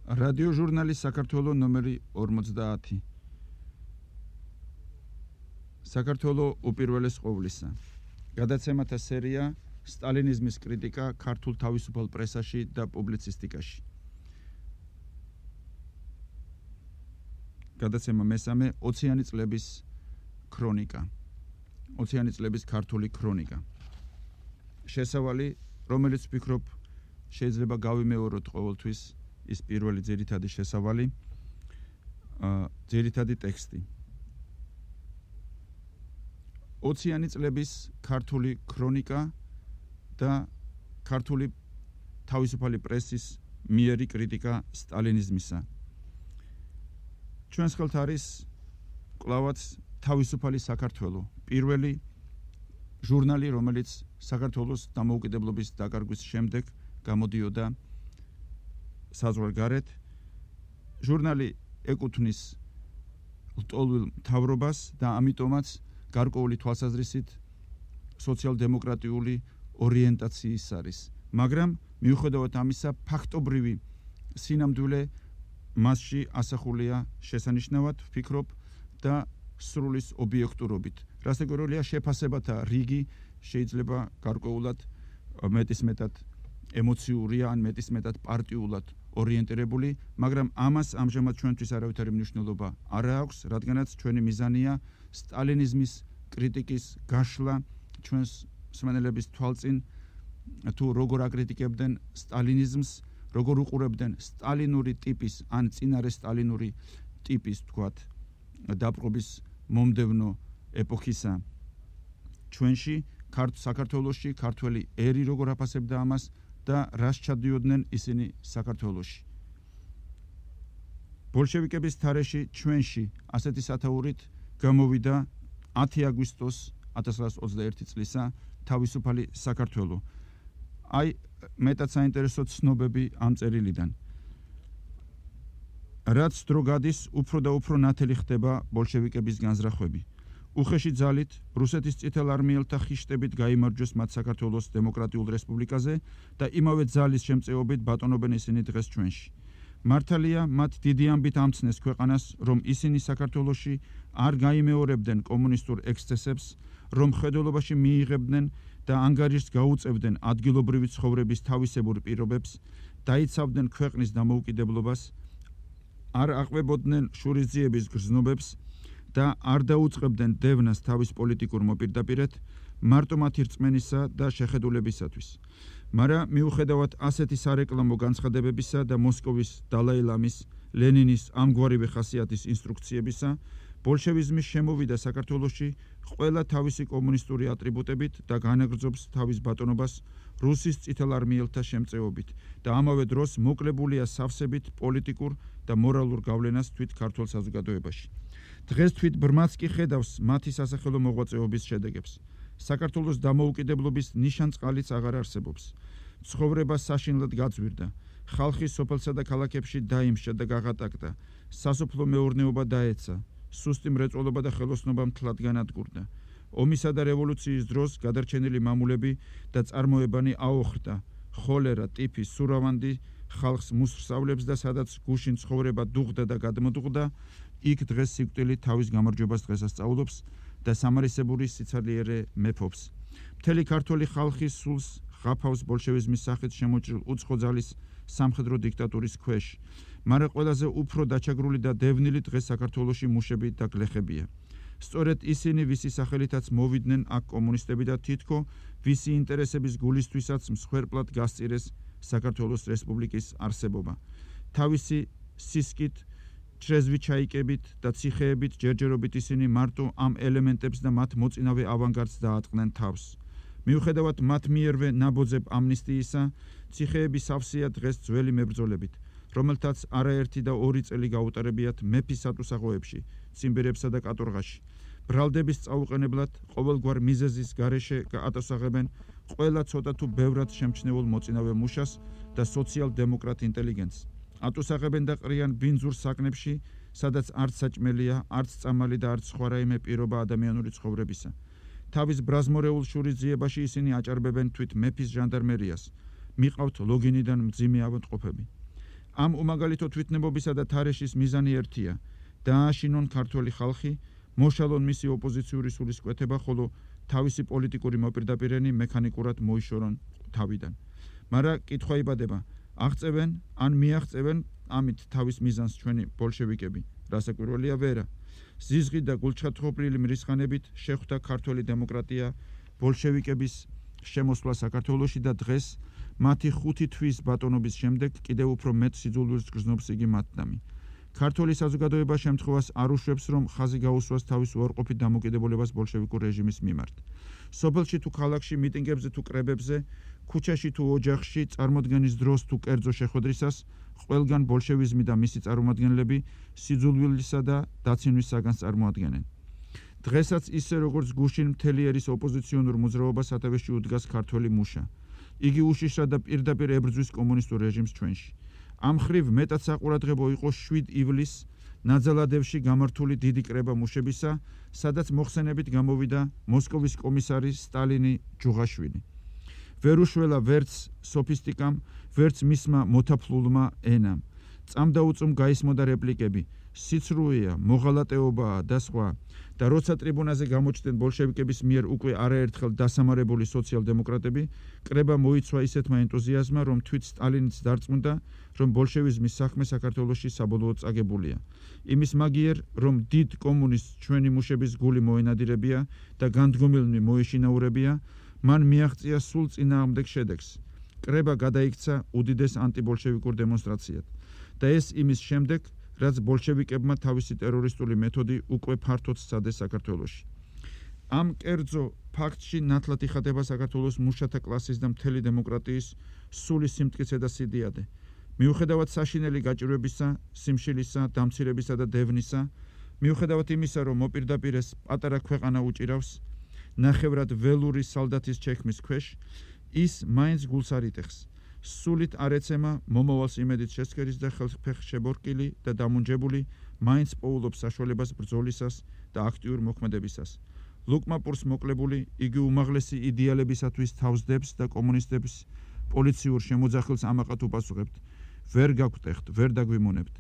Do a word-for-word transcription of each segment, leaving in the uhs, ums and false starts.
რადიო ჟურნალი საქართველო ნომერი ორმოცდაათი. საქართველო უპირველეს ყოვლისა. გადაცემათა სერია სტალინიზმის კრიტიკა ქართულ თავისუფალ პრესაში და პუბლიცისტიკაში. გადაცემა მესამე ოციანი წლების ქრონიკა. ოციანი წლების ქართული ქრონიკა. შესავალი, რომელიც ვფიქრობ შეიძლება გავიმეოროთ ყოველთვის ის პირველი ძირითადი შესავალი, ძირითადი ტექსტი. ოციანი წლების ქართული ქრონიკა და ქართული თავისუფალი პრესის მიერი კრიტიკა სტალინიზმისა. ჩვენს ხელთ არის კვლავაც თავისუფალი საქართველო, პირველი ჟურნალი, რომელიც საქართველოს დამოუკიდებლობის დაკარგვის შემდეგ გამოდიოდა საზღვარგარეთ. ჟურნალი ეკუთვნის ლტოლვილ მთავრობას და ამიტომაც გარკვეული თვალსაზრისით სოციალ-დემოკრატიული ორიენტაციის არის. მაგრამ მიუხედავად ამისა, ფაქტობრივი სინამდვილე მასში ასახულია შესანიშნავად, ვფიქრობ, და სრულის ობიექტურობით. რასაკვირველია, შეფასებათა რიგი შეიძლება გარკვეულად მეტისმეტად ემოციურია ან მეტისმეტად პარტიულად ორიენტირებული, მაგრამ ამას ამჟამად ჩვენთვის არავითარი მნიშვნელობა არ აქვს, რადგანაც ჩვენი მიზანია სტალინიზმის კრიტიკის გაშლა ჩვენს მსმენელების თვალწინ, თუ როგორ აკრიტიკებდნენ სტალინიზმს, როგორ უყურებდნენ სტალინური ტიპის ან წინარე სტალინური ტიპის, თქვათ, დაპყრობის მომდევნო ეპოქისა ჩვენში, საქართველოში, ქართველი ერი როგორ აფასებდა ამას და რას ჩადიოდნენ ისინი საქართველოში. ბოლშევიკების თარეში ჩვენში ასეთი სათაურით გამოვიდა ათი აგვისტოს ათას ცხრაასი ოცდაერთი წლისა თავისუფალი საქართველო. აი, მეტად საინტერესო ცნობები ამ წერილიდან. რაც დრო გადის, უფრო და უფრო ნათელი ხდება ბოლშევიკების განზრახვები. უხეში ძალით რუსეთის წითელ არმიელთა ხიშტებით გაიმარჯვეს მათ საქართველოს დემოკრატიულ რესპუბლიკაზე და იმავე ძალის შემწეობით ბატონობენ ისინი დღეს ჩვენში. მართალია, მათ დიდი ამბით ამცნეს ქვეყანას, რომ ისინი საქართველოში არ გაიმეორებდნენ კომუნისტურ ექსცესებს, რომ მხედველობაში მიიღებდნენ და ანგარიშს გაუწევდნენ ადგილობრივი ცხოვრების თავისებურ პირობებს, დაიცავდნენ ქვეყნის დამოუკიდებლობას, არ აყვებოდნენ შურისძიების გრძნობებს და არ დაუწყებდნენ დევნას თავის პოლიტიკურ მოპირდაპირედ, მარტო მათი რწმენისა და შეხედულებისათვის. მაგრამ მიუხედავად ასეთი სარეკლამო განცხადებებისა და მოსკოვის დალაი-ლამის, ლენინის ამგვარივე ხასიათის ინსტრუქციებისა, ბოლშევიზმი შემოვიდა საქართველოში ყველა თავისი კომუნისტური ატრიბუტებით და განაგრძობს თავის ბატონობას რუსის წითელ არმიელთა შემწეობით და ამავე დროს მოკლებულია სავსებით პოლიტიკურ და მორალურ გავლენას თვით ქართულ საზოგადოებაში. დღეს თვით ბრმაც კი ხედავს მათი სასახელო მოღვაწეობის შედეგებს. საქართველოს დამოუკიდებლობის ნიშანწყალიც აღარ არსებობს. ცხოვრება საშინლად გაძვირდა. ხალხი სოფელსა და ქალაქებში დაიმსჭა და გაღატაკდა. სასოფლო მეურნეობა დაეცა. სუსტი მრეწველობა და ხელოსნობა მთლად განადგურდა. ომისა და რევოლუციის დროს გადარჩენილი მამულები და წარმოებანი აოხრდა. ხოლერა, ტიფი, სურავანდი ხალხს მუსრსავლებს და სადაც გუშინ ცხოვრება დუღდა და გადმოდუღდა, იქ დღეს სიკვდილი თავის გამარჯვებას დღესასწაულობს და სამარისებური სიცარიელე მეფობს. მთელი ქართველი ხალხი სულს ღაფავს ბოლშევიზმის სახით შემოჭრილ უცხო ძალის სამხედრო დიქტატურის ქვეშ, მაგრამ ყველაზე უფრო დაჩაგრული და დევნილი დღეს საქართველოში მუშები და გლეხებია. სწორედ ისინი, ვისი სახელითაც მოვიდნენ აქ კომუნისტები და თითქო ვისი ინტერესების გულისთვისაც მსხვერპლად გასწირეს საქართველოს რესპუბლიკის არსებობა. თავისი სისკით, ჩრეзвიჩაიკებით და ციხეებით ჯერჯერობით ისინი მარტო ამ ელემენტებს და მათ მოწინავე ავანგარდს დაატყდნენ თავს. მიუხედავად მათ მიერვე ნაბოძებ ამნისტიისა, ციხეები სავსეა დღეს ძველი მებრძოლებით, რომელთაც არაერთი და ორი წელი გაუტარებიათ მეფის სატუსაღოებში, ციმბირებსა და კატორღაში. ბრალდების წაუყენებლად ყოველგვარ მიზეზის გარეშე გაატოსაღებენ ყველა ცოტა თუ ბევრად შემჩნეულ მოწინავე მუშას და სოციალ-დემოკრატ ინტელიგენტს. ატუსაღებენ და ყრიან ბინძურ საკნებში, სადაც არც საჭმელია, არც წამალი და არც სხვა რაიმე პირობა ადამიანური ცხოვრებისა. თავის ბრაზმორეულ შურისძიებაში ისინი აჭარბებენ თვით მეფის ჟანდარმერიას. მიყავთ ლოგინიდან მძიმე ავადმყოფები. ამ უმაგალითო თვითნებობისა და თარეშის მიზანი ერთია: დააშინონ ქართველი ხალხი, მოშალონ მისი ოპოზიციური სულისკვეთება, ხოლო თავისი პოლიტიკური მოპირდაპირენი მექანიკურად მოიშორონ თავიდან. მაგრამ კითხვა იბადება: აღწევენ ან მიაღწევენ ამით თავის მიზანს ჩვენი ბოლშევიკები? რასაკვირველია, ვერა. ზიზღით და გულჩხატხობლილი მრისხანებით შეხვდა ქართველი დემოკრატია ბოლშევიკების შემოსვლა საქართველოში და დღეს მათი ხუთი თვის ბატონობის შემდეგ კიდევ უფრო მეტ სიძულვილს გრძნობს იგი მათდამი. ქართული საზოგადოება შემთხვევას არ უშვებს, რომ ხაზი გაუსვას თავის უარყოფით დამოკიდებულებას ბოლშევიკურ რეჟიმის მიმართ. სოფელში თუ ქალაქში, მიტინგებზე თუ კრებებზე, ქუჩაში თუ ოჯახში, წარმოდგენის დროს თუ კერძო შეხვედრისას, ყველგან ბოლშევიზმი და მისი წარმომადგენლები სიძულვილისა და დაცინვის საგანს წარმოადგენენ. დღესაც ისე როგორც გუშინ მთელი ერის ოპოზიციონურ მოძრაობას სათავეში უდგას ქართველი მუშა. იგი უშიშრად და პირდაპირ ებრძვის კომუნისტურ რეჟიმს ჩვენში. ამ ხრივ მეტად საყურადღებო იყო შვიდ ივლისს ნაძალადევში გამართული დიდი კრება მუშებისა, სადაც მოხსენებით გამოვიდა მოსკოვის კომისარი სტალინი ჯუღაშვილი. ვერ უშველა ვერც სოფისტიკამ, ვერც მისმა მოთაფლულმა ენამ. წამდაუწუმ გაისმოდა რეპლიკები: სიცრუეა, მოღალატეობაა და სხვა. და როცა ტრიბუნაზე გამოჩნდნენ ბოლშევიკების მიერ უკვე არაერთხელ დასამარებული სოციალ-დემოკრატები, კრება მოიცვა ისეთმა ენტუზიაზმა, რომ თვით სტალინიც დარწმუნდა, რომ ბოლშევიზმის საქმე საქართველოში საბოლოოდ წაგებულია. იმის მაგიერ, რომ დიდ კომუნისტს ჩვენი მუშების გული მოენადირებია და განდგომილნი მოეშინაურებია, მან მიაღწია სულ წინააღმდეგ შედეგს. კრება გადაიქცა უდიდეს ანტიბოლშევიკურ დემონსტრაციად და ეს იმის შემდეგ, რაც ბოლშევიკებმა თავისი ტერორისტული მეთოდი უკვე ფართოდ სცადეს საქართველოში. ამ კერძო ფაქტში ნათლად იხატება საქართველოს მუშათა კლასის და მთელი დემოკრატიის სული სიმტკიცე და სიდიადე. მიუხედავად საშინელი გაჭირვებისა, სიმშილისა, დამცირებისა და დევნისა, მიუხედავად იმისა, რომ მოპირდაპირ ეს პატარა ქვეყანა უჭირავს ნახევრად ველური სალდათის ჩექმის ქვეშ, ის მაინც გულს არ იტეხს. სულით არ ეცემა მომავალს იმედით შესქერის და ხელფეხ შებორკილი და დამუნჯებული, მაინც პოულობს საშუალებას ბრძოლისას და აქტიურ მოქმედებისას. ლუკმა პურს მოკლებული, იგი უმაღლესი იდეალებისათვის თავს დებს და კომუნისტების პოლიციურ შემოძახილს ამაყად უპასუხებთ. ვერ გაგვტეხთ, ვერ დაგვიმონებთ.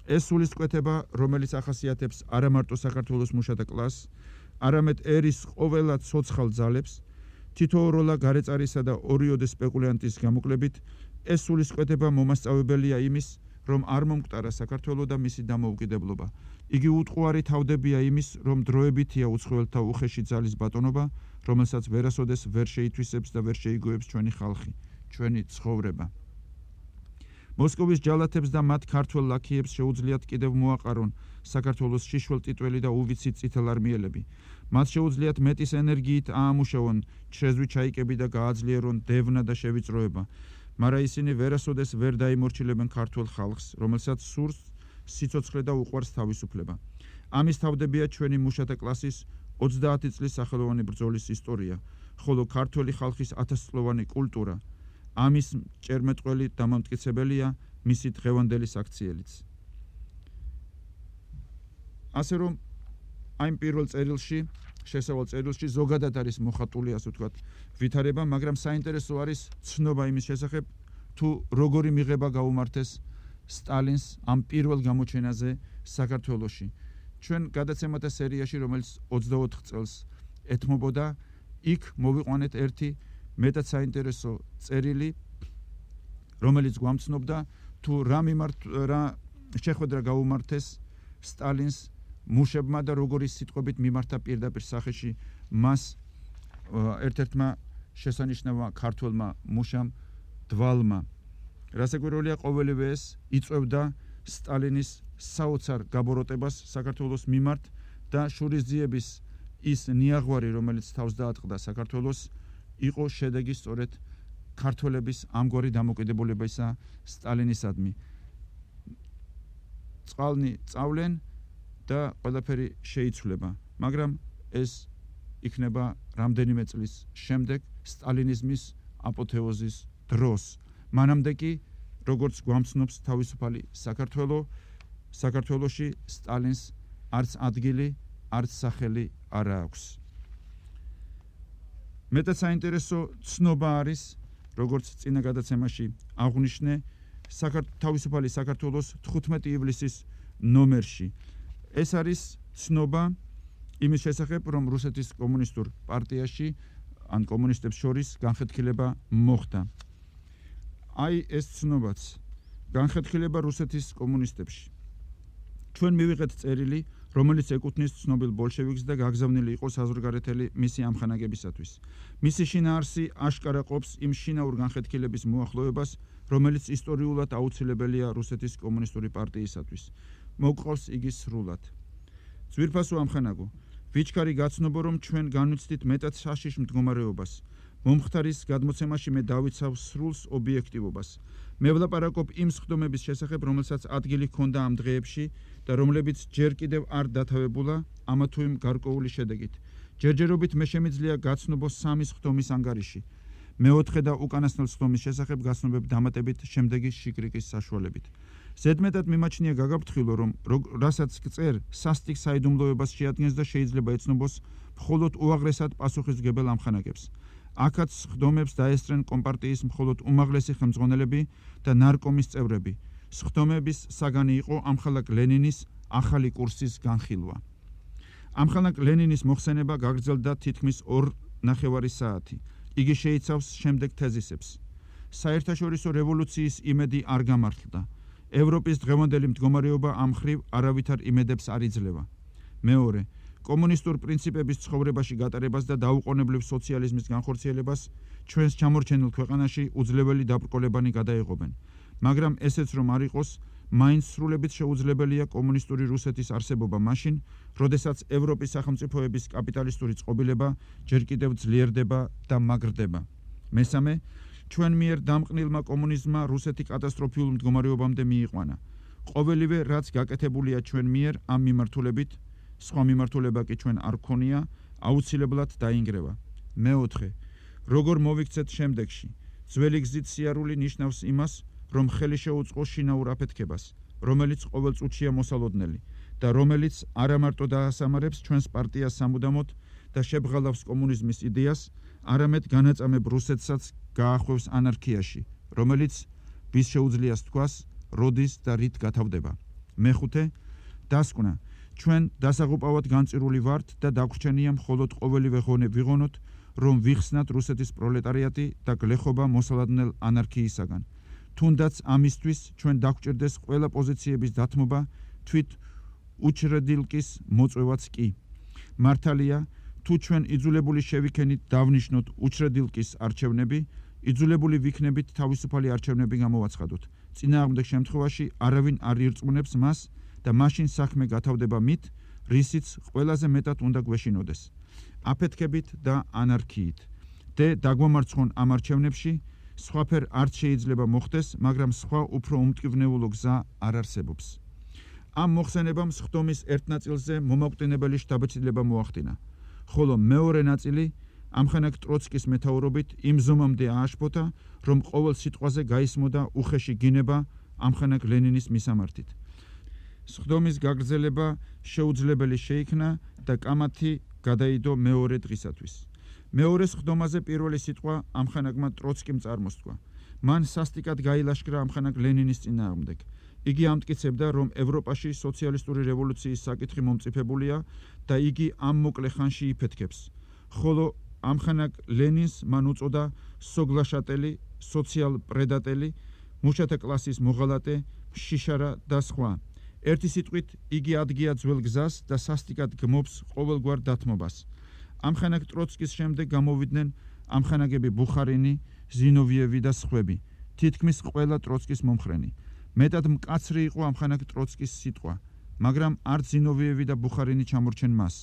ეს სულისკვეთება, რომელიც ახასიათებს არა მარტო საქართველოს მუშათა კლასს, არამედ ერის ყველა ცოცხალ ძალებს, თითოეულა გარეწარისა და ორიოდე სპეკულიანტის გამოკლებით, ეს სულისკვეთება მომასწავებელია იმის, რომ არ მომკვდარა საქართველო და მისი დამოუკიდებლობა. იგი უტყუარი თავდებია იმის, რომ დროებითია უცხოელთა უხეში ძალის ბატონობა, რომელსაც ვერასოდეს ვერ შეითვისებს და ვერ შეიგოებს ჩვენი ხალხი, ჩვენი ცხოვრება. მოსკოვის ჯალათებს და მათ ქართველ ლაქიებს შეუძლიათ კიდევ მოაყარონ საქართველოს შიშველ ტიტველი და უვიცით წითელარმიელები. მათ შეუძლიათ მეტის ენერგიით აამუშავონ ჩრეზვი ჩაიკები და გააძლიერონ დევნა და შევიწროება, მაგრამ ისინი ვერასოდეს ვერ დაიმორჩილებენ ქართველ ხალხს, რომელსაც სურს სიცოცხლე და უყვარს თავისუფლება. ამის თავდებია ჩვენი მუშათა კლასის ოცდაათი წლის სახელოვანი ბრძოლის ისტორია, ხოლო ქართველი ხალხის ათასწლოვანი კულტურა, ამის ჭერმეტყველი დამამტკიცებელია მისი დღევანდელი საქციელიც. ასე რომ ამ პირველ წერილში, შესავალ წერილში ზოგადად არის მოხატული, ასე ვთქვათ, ვითარება, მაგრამ საინტერესო არის ცნობა იმის შესახებ, თუ როგორი მიღება გაუმართეს სტალინს ამ პირველ გამოჩენაზე საქართველოში. ჩვენ გადაცემათა სერიაში, რომელიც ოცდაოთხ წელს ეთმობოდა, იქ მოვიყვანეთ ერთი მეტად საინტერესო წერილი, რომელიც გვამცნობდა თუ რა მიმართ რა შეხვედრა გაუმართეს სტალინს მუშებმა და როგორი სიტყვებით მიმართა პირდაპირ სახეში მას ერთ-ერთმა შესანიშნავმა ქართველმა მუშამ დვალმა. რასაკვირველია, ყოველივე ეს იწვევდა სტალინის საოცარ გაბოროტებას საქართველოს მიმართ და შურისძიების ის ნიაღვარი, რომელიც თავს დაატყდა საქართველოს, იყო შედეგი სწორედ ქართველების ამგვარი დამოკიდებულებისა სტალინისადმი. წყალნი წავლენ და ყველაფერი შეიცვლება, მაგრამ ეს იქნება რამდენიმე წლის შემდეგ სტალინიზმის აპოთეოზის დროს. მანამდე კი, როგორც გვამცნობს თავისუფალი საქართველო, საქართველოში სტალინს არც ადგილი, არც სახელი არ აქვს. მეტად საინტერესო ცნობა არის, როგორც წინა გადაცემაში აღვნიშნე, თავისუფალი საქართველოს თხუთმეტი ივლისის ნომერში. ეს არის ცნობა იმის შესახებ, რომ რუსეთის კომუნისტურ პარტიაში ან კომუნისტებს შორის განხეთქილება მოხდა. აი ეს ცნობაც განხეთქილება რუსეთის კომუნისტებში. ჩვენ მივიღეთ წერილი, რომელიც ეკუთვნის ცნობილ ბოლშევიკს და გაგზავნილი იყო საზღვარგარეთელი მისი ამხანაგებისათვის. მისი შინაარსი აშკარა ყოფს იმ შინაურ განხეთქილების მოახლოებას, რომელიც ისტორიულად აუცილებელია რუსეთის კომუნისტური პარტიისათვის. მოგყავს იგი სრულად. ძვირფასო ამხანაგო, ვიჩქარი გაცნობო, რომ ჩვენ განვიცდით მეტად საშიშ მდგომარეობას. მომხდარის გადმოცემაში მე დავიცავ სრულს ობიექტივობას. მე ვლაპარაკობ იმ სხდომების შესახებ, რომელსაც ადგილი ჰქონდა ამ დღეებში და რომლებიც ჯერ კიდევ არ დათავებულა ამა თუ იმ გარკვეული შედეგით. ჯერჯერობით მე შემიძლია გაცნობო სამი სხდომის ანგარიში. მეოთხე და უკანასკნელ სხდომის შესახებ გაცნობებ დამატებით შემდეგი შიკრიკის საშუალებით. ზედმეტად მიმაჩნია გაგაფრთხილო, რომ რასაც გწერ სასტიკ საიდუმლოებას შეადგენს და შეიძლება ეცნობოს მხოლოდ უაღრესად პასუხისმგებელ ამხანაგებს. აქაც სხდომებს დაესწრენ კომპარტიის მხოლოდ უმაღლესი ხელმძღვანელები და ნარკომის წევრები. სხდომების საგანი იყო ამხანაგ ლენინის ახალი კურსის განხილვა. ამხანაგ ლენინის მოხსენება გაგრძელდა თითქმის ორ ნახევარი საათი. იგი შეიცავს შემდეგ თეზისებს. საერთაშორისო რევოლუციის იმედი არ გამართლდა. ევროპის დღევანდელი მდგომარეობა ამ მხრივ არავითარ იმედებს არ იძლევა. მეორე, კომუნისტურ პრინციპების ცხოვრებაში გატარებას და დაუყოვნებლივ სოციალიზმის განხორციელებას ჩვენს ჩამორჩენილ ქვეყანაში უძლებელი დაბრკოლებანი გადაეღობენ. მაგრამ ესეც რომ არ იყოს, მაინც სრულებით შეუძლებელია კომუნისტური რუსეთის არსებობა მაშინ, როდესაც ევროპის სახელმწიფოების კაპიტალისტური წყობილება ჯერ კიდევ ძლიერდება და მაგრდება. მესამე, ჩვენ მიერ დამყნილმა კომუნიზმმა რუსეთი კატასტროფიულ მდგომარეობამდე მიიყვანა. ყოველივე რაც გაკეთებულია ჩვენ მიერ ამ მიმართულებით, სხვა მიმართულება კი ჩვენ არ გქონია, აუცილებლად დაინგრევა. მეოთხე, როგორ მოვიქცეთ შემდეგში, ძველი გზით სიარული ნიშნავს იმას, რომ ხელი შეუწყო შინაურ აფეთქებას, რომელიც ყოველ წუთშია მოსალოდნელი და რომელიც არამარტო დაასამარებს ჩვენს პარტიას სამუდამოდ და შებღალავს კომუნიზმის იდეას, არამედ განაწამებ რუსეთსაც გაახვევს ანარქიაში, რომელიც ვის შეუძლიას თქვას, როდის და რით გათავდება. მეხუთე, დასკვნა, ჩვენ დასაღუპავად განწირული ვართ და დაგვრჩენია მხოლოდ ყოველივე ღონე ვიღონოთ, რომ ვიხსნათ რუსეთის პროლეტარიატი და გლეხობა მოსალოდნელ ანარქიისაგან. თუნდაც ამისთვის ჩვენ დაგვჭირდეს ყველა პოზიციების დათმობა, თვით უჩრედილკის მოწვევაც კი. მართალია, თუ ჩვენ იძულებული შევიქენით დავნიშნოთ უჩრედილკის არჩევნები, იძულებული ვიქნებით თავისუფალი არჩევნები გამოვაცხადოთ. წინააღმდეგ შემთხვევაში არავინ არ ირწმუნებს მას და მაშინ საქმე გათავდება მით, რისიც ყველაზე მეტად უნდა გვეშინოდეს. აფეთქებით და ანარქიით. დე დაგვამარცხონ ამ არჩევნებში, სხვაფერ არც შეიძლება მოხდეს, მაგრამ სხვა უფრო უმტკივნეულო გზა არ არსებობს. ამ მოხსენებამ სხდომის ერთ ნაწილზე მომაკვდინებელი შთაბეჭდილება მოახდინა, ხოლო მეორე ნაწილი ამხანაგ ტროცკის მეთაურობით იმ ზომამდე ააშფოთა, რომ ყოველ სიტყვაზე გაისმოდა უხეში გინება ამხანაგ ლენინის მისამართით. სხდომის გაგრძელება შეუძლებელი შეიქნა და კამათი გადაიდო მეორე დღისათვის. მეორე სხდომაზე პირველი სიტყვა ამხანაგმა ტროცკიმ წარმოსთქვა. მან სასტიკად გაილაშქრა ამხანაგ ლენინის წინააღმდეგ. იგი ამტკიცებდა, რომ ევროპაში სოციალისტური რევოლუციის საკითხი მომწიფებულია და იგი ამ მოკლე ხანში იფეთქებს. ხოლო ამხანაგ ლენინს მან უწოდა სოგლაშატელი, სოციალ-პრედატელი, მუშათა კლასის მოღალატე, შიშარა და სხვა. ერთი სიტყვით, იგი ადგია ძველ გზას და სასტიკად გმობს ყოველგვარ დათმობას. ამხანაგ ტროცკის შემდეგ გამოვიდნენ ამხანაგები ბუხარინი, ზინოვიევი და სხვები, თითქმის ყველა ტროცკის მომხრენი. მეტად მკაცრი იყო ამხანაგ ტროცკის სიტყვა, მაგრამ არც ზინოვიევი და ბუხარინი ჩამორჩენ მას.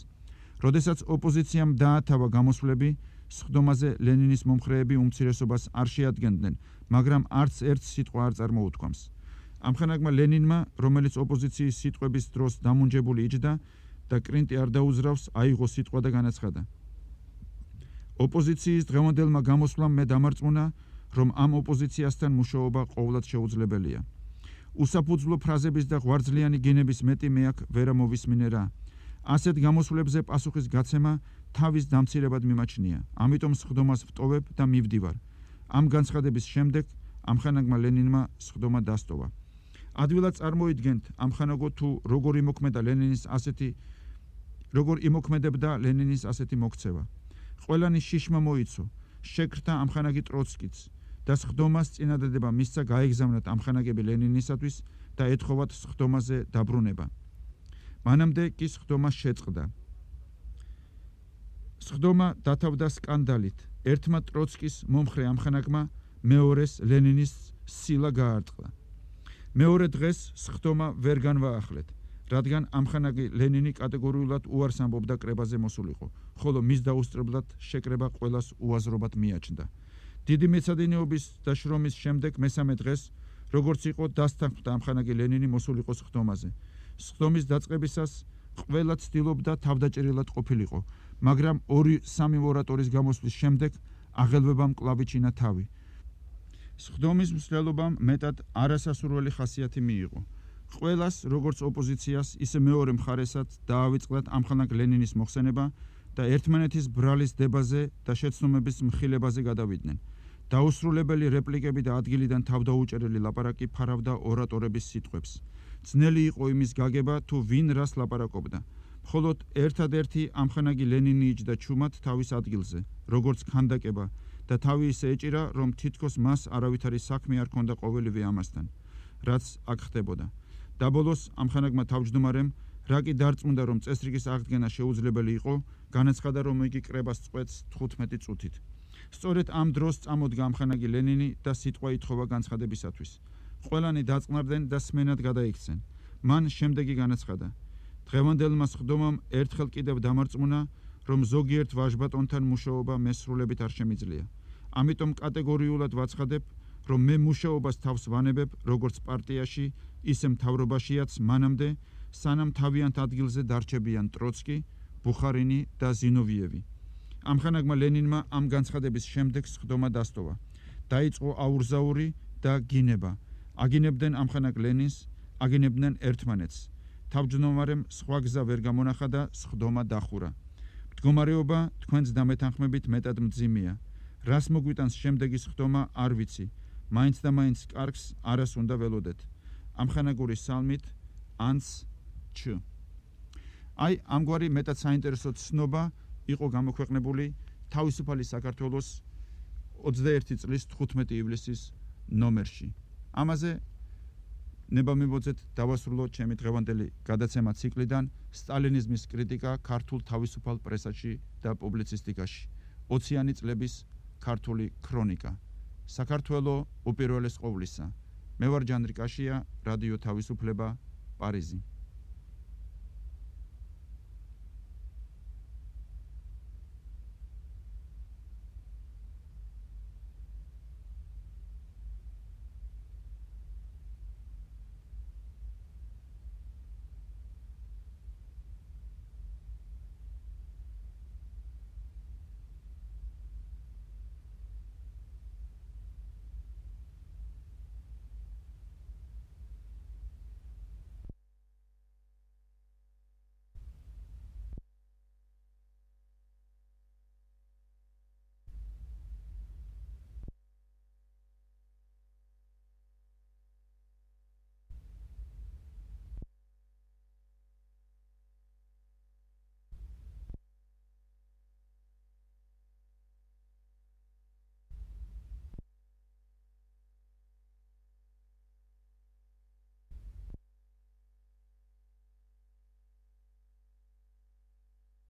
როდესაც ოპოზიციამ დაათავა გამოსვლები, სხდომაზე ლენინის მომხრეები უმცირესობას არ შეადგენდნენ, მაგრამ არც ერთ სიტყვა არ წარმოუთქვამს. ამხანაგმა ლენინმა, რომელიც ოპოზიციის სიტყვების დროს დამუნჯებული იჯდა და კრინტი არ დაუზრავს, აიღო სიტყვა და განაცხადა. ოპოზიციის დღევანდელმა გამოსვლამ მე დამარწმუნა, რომ ამ ოპოზიციასთან მუშაობა ყოვლად შეუძლებელია. უსაფუძვლო ფრაზების და ღვარძლიანი გენების მეტი მე აქ ვერ ამოვისმინე რა. ასეთ გამოსვლებზე პასუხის გაცემა თავის დამცირებად მიმაჩნია. ამიტომ სხდომას ვტოვებ და მივდივარ. ამ განცხადების შემდეგ ამხანაგმა ლენინმა სხდომა დასტოვა. ადვილად წარმოიდგენთ ამხანაგო თუ როგორ იმოქმედა ლენინის ასეთი როგორ იმოქმედებდა ლენინის ასეთი მოქცევა. ყველანი შიშმა მოიცო, შეკრთა ამხანაგი ტროცკიც და სხდომას წინადადება მისცა გაეგზავნათ ამხანაგები ლენინისათვის და ეთხოვათ სხდომაზე დაბრუნება. მანამდე კი სხდომა შეწყდა. სხდომა დათავდა სკანდალით. ერთმა ტროცკის მომხრე ამხანაგმა მეორეს ლენინის სილა გაარტყა. მეორე დღეს სხდომა ვერ განვაახლეთ, რადგან ამხანაგი ლენინი კატეგორიულად უარს ამბობდა კრებაზე მოსულიყო, ხოლო მის დაუსწრებლად შეკრება ყველას უაზრობად მიაჩნდა. დიდი მეცადინეობის და შრომის შემდეგ მესამე დღეს, როგორც იყო, დასთანხმდა ამხანაგი ლენინი მოსულიყო სხდომაზე. სხდომის დაწყებისას ყველა ცდილობდა თავდაჭერილად ყოფილიყო, მაგრამ ორი სამი ორატორის გამოსვლის შემდეგ აღელვებამ კლავიჩინა თავი. სხდომის მსვლელობამ მეტად არასასურველი ხასიათი მიიღო. ყველას, როგორც ოპოზიციას, ისე მეორე მხარესაც დაავიწყდათ ამხანაგ ლენინის მოხსენება და ერთმანეთის ბრალის დებაზე და შეცდომების მხილებაზე გადავიდნენ. დაუსრულებელი რეპლიკები და ადგილიდან თავდაუჭერელი ლაპარაკი ფარავდა ორატორების სიტყვებს. ძნელი იყო იმის გაგება, თუ ვინ რას ლაპარაკობდა. მხოლოდ ერთადერთი ამხანაგი ლენინი იჯდა ჩუმად თავის ადგილზე, როგორც ქანდაკება და თავი ისე ეჭირა, რომ თითქოს მას არავითარი საქმე არ ჰქონდა ყოველივე ამასთან, რაც აქ ხდებოდა. და ბოლოს ამხანაგმა თავმჯდომარემ, რა კი დარწმუნდა, რომ წესრიგის აღდგენა შეუძლებელი იყო, განაცხადა, რომ იგი კრებას წყვეტს თხუთმეტი წუთით. სწორედ ამ დროს წამოდგა ამხანაგი ლენინი და სიტყვა ითხოვა განცხადებისათვის. ყველანი დაწყნარდნენ და სმენად გადაიქცენ. მან შემდეგი განაცხადა: დღევანდელმა სხდომამ ერთხელ კიდევ დამარწმუნა, რომ ზოგიერთ ვაჟბატონთან მუშაობა მესრულებით არ შემიძლია. ამიტომ კატეგორიულად ვაცხადებ, რომ მე მუშაობას თავს ვანებებ როგორც პარტიაში, ისე მთავრობაშიაც მანამდე, სანამ თავიანთ ადგილზე დარჩებიან ტროცკი, ბუხარინი და ზინოვიევი. ამხანაგმა ლენინმა ამ განცხადების შემდეგ სხდომა დასტოვა. დაიწყო აურზაური და გინება. აგინებდნენ ამხანაგ ლენინს, აგინებდნენ ერთმანეთს. თავმჯდომარემ სხვა გზა ვერ გამონახა და სხდომა დახურა. მდგომარეობა თქვენს დამეთანხმებით მეტად მძიმეა. რას მოგვიტანს შემდეგი სხდომა არ ვიცი. მაინც და მაინც კარგს არას უნდა ველოდეთ. ამხანაგური სალმით ანც ჩ. აი ამგვარი მეტად საინტერესო ცნობა იყო გამოქვეყნებული თავისუფალი საქართველოს ოცდაერთი წლის თხუთმეტი ივლისის ნომერში. ამაზე ნება მიბოძეთ დავასრულოთ ჩემი დღევანდელი გადაცემა ციკლიდან სტალინიზმის კრიტიკა ქართულ თავისუფალ პრესაში და პუბლიცისტიკაში. ოციანი წლების ქართული ქრონიკა. საქართველო უპირველეს ყოვლისა. მე ვარ ჯანდრიკაშია, რადიო თავისუფლება, პარიზი.